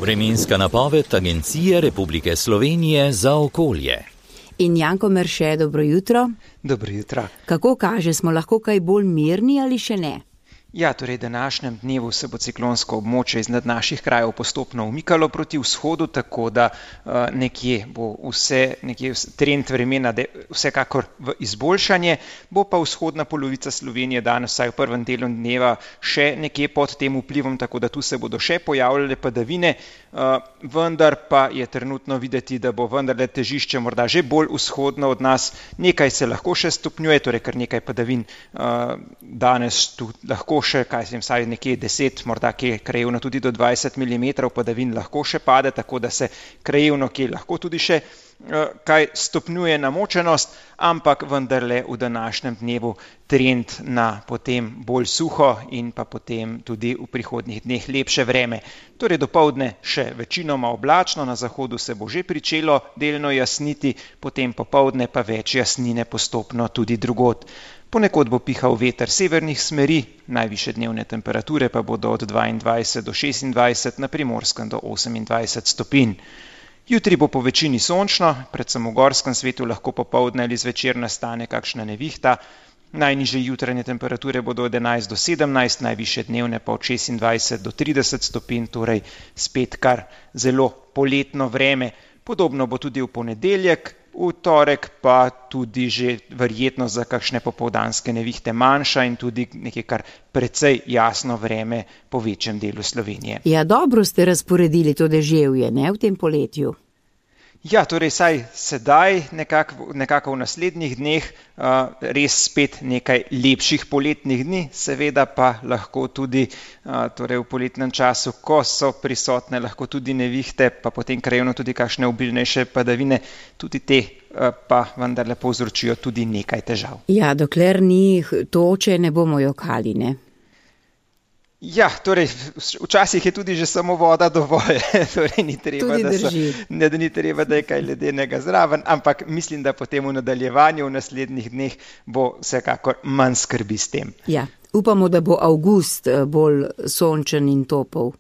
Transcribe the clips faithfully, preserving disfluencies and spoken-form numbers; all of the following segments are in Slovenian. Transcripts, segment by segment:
Vremenska napoved Agencije Republike Slovenije za okolje. In Janko Merše, dobro jutro. Dobro jutro. Kako kaže, smo lahko kaj bolj mirni ali še ne? Ja, torej današnjem dnevu se bo ciklonsko območje iznad naših krajev postopno umikalo proti vzhodu, tako da uh, nekje bo vse, nekje trend vremena de, vsekakor v izboljšanje, bo pa vzhodna polovica Slovenije danes vsaj v prvem delu dneva še nekje pod tem vplivom, tako da tu se bodo še pojavljale padavine, uh, vendar pa je trenutno videti, da bo vendarle težišče morda že bolj vzhodno od nas, nekaj se lahko še stopnjuje, torej kar nekaj padavin uh, danes tu lahko še, kaj sem vsaj nekje deset, morda kje krajevno tudi do dvajset milimetrov padavin lahko še pade, tako da se krajevno kje lahko tudi še uh, kaj stopnjuje namočenost, ampak vendarle v današnjem dnevu trend na potem bolj suho in pa potem tudi v prihodnjih dneh lepše vreme. Torej dopoldne še večinoma oblačno, na zahodu se bo že pričelo delno jasniti, potem popoldne pa več jasnine postopno tudi drugod. Ponekod bo pihal veter severnih smeri, najvišje dnevne temperature pa bodo od dvaindvajset do šestindvajset, na Primorskem do osemindvajset stopinj. Jutri bo po večini sončno, predvsem v gorskem svetu lahko popoldne ali zvečer nastane kakšna nevihta. Najnižje jutranje temperature bodo od enajst do sedemnajst, najvišje dnevne pa od šestindvajset do trideset stopinj, torej spet kar zelo poletno vreme. Podobno bo tudi v ponedeljek. V torek pa tudi že verjetno za kakšne popoldanske nevihte manjša in tudi nekaj kar precej jasno vreme po večjem delu Slovenije. Ja, dobro ste razporedili to deževje, ne, v tem poletju? Ja, torej saj sedaj, nekako, nekako v naslednjih dneh, uh, res spet nekaj lepših poletnih dni, seveda pa lahko tudi uh, torej v poletnem času, ko so prisotne lahko tudi nevihte, pa potem krajevno tudi kakšne obilnejše padavine, tudi te uh, pa vendarle povzročijo tudi nekaj težav. Ja, dokler ni toče, ne bomo jokali, ne? Ja, torej, včasih je tudi že samo voda dovolj, torej ni treba, da, so, ne, da ni treba, da je kaj ledenega zraven, ampak mislim, da potem v nadaljevanju v naslednjih dneh bo vsekakor manj skrbi s tem. Ja, upamo, da bo avgust bolj sončen in topel.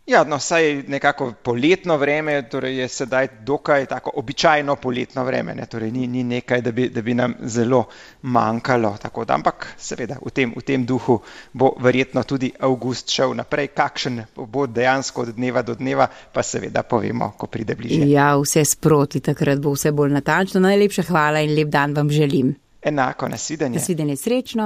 Ja, no, saj nekako poletno vreme, torej je sedaj dokaj tako običajno poletno vreme, ne, torej ni, ni nekaj, da bi, da bi nam zelo manjkalo, tako da, ampak seveda v tem, v tem duhu bo verjetno tudi avgust šel naprej, kakšen bo dejansko od dneva do dneva, pa seveda povemo, ko pride bliže. Ja, vse sproti, takrat bo vse bolj natančno. Najlepša hvala in lep dan vam želim. Enako, nasvidenje. Nasvidenje, srečno.